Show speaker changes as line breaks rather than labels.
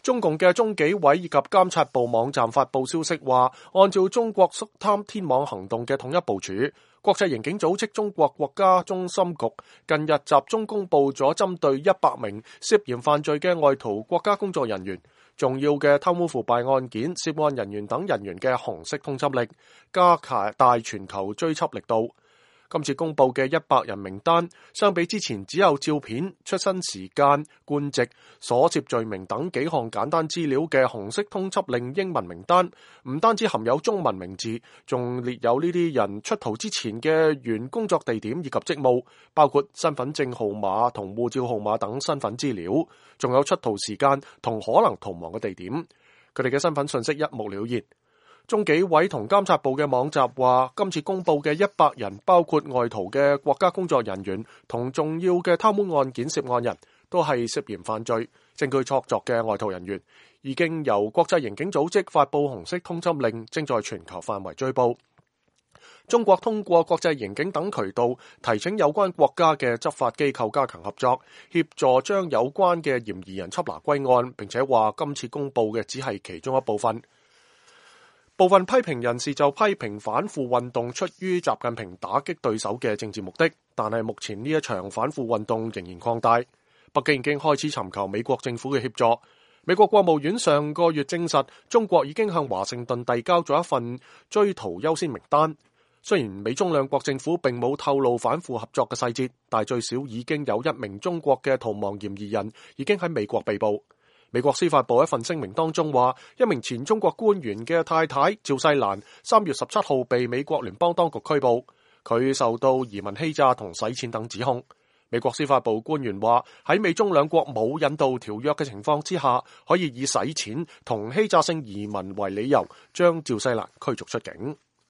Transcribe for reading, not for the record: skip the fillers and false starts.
中共嘅中紀委以及監察部網站發布消息話，按照中國肅貪天網行動嘅統一部署，國際刑警組織中國國家中心局近日集中公佈咗針對100名涉嫌犯罪嘅外逃國家工作人員、重要嘅貪污腐敗案件涉案人員等人員嘅紅色通緝令，加大全球追緝力度。今次公佈嘅100人名單，相比之前只有照片、出生時間、官籍、所涉罪名等幾項簡單資料嘅紅色通緝令英文名單，唔單止含有中文名字，仲列有呢啲人出逃之前嘅原工作地點以及職務，包括身份證號碼同護照號碼等身份資料，仲有出逃時間同可能逃亡嘅地點。佢哋嘅身份信息一目了然。中紀委同監察部嘅網站話，今次公佈嘅100人包括外逃嘅國家工作人員同重要嘅貪污案件涉案人，都係涉嫌犯罪、證據確鑿嘅外逃人員，已經由國際刑警組織發佈紅色通緝令，正在全球範圍追捕。中國通過國際刑警等渠道提請有關國家嘅執法機構加強合作，協助將有關嘅嫌疑人緝拿歸案，並且話今次公佈嘅只係其中一部分。部分批評人士就批評反腐運動出於習近平打擊對手嘅政治目的，但係目前呢一場反腐運動仍然擴大。北京已經開始尋求美國政府嘅協助。美國國務院上個月證實，中國已經向華盛頓遞交咗一份追逃優先名單。雖然美中兩國政府並冇透露反腐合作嘅細節，但最少已經有1名中國嘅逃亡嫌疑人已經喺美國被捕。美國司法部一份聲明當中話，1名前中國官員嘅太太趙世蘭3月17號被美國聯邦當局拘捕，佢受到移民欺詐同洗錢等指控。美國司法部官員話，喺美中兩國冇引渡條約嘅情況之下，可以以洗錢同欺詐性移民為理由將趙世蘭驅逐出境。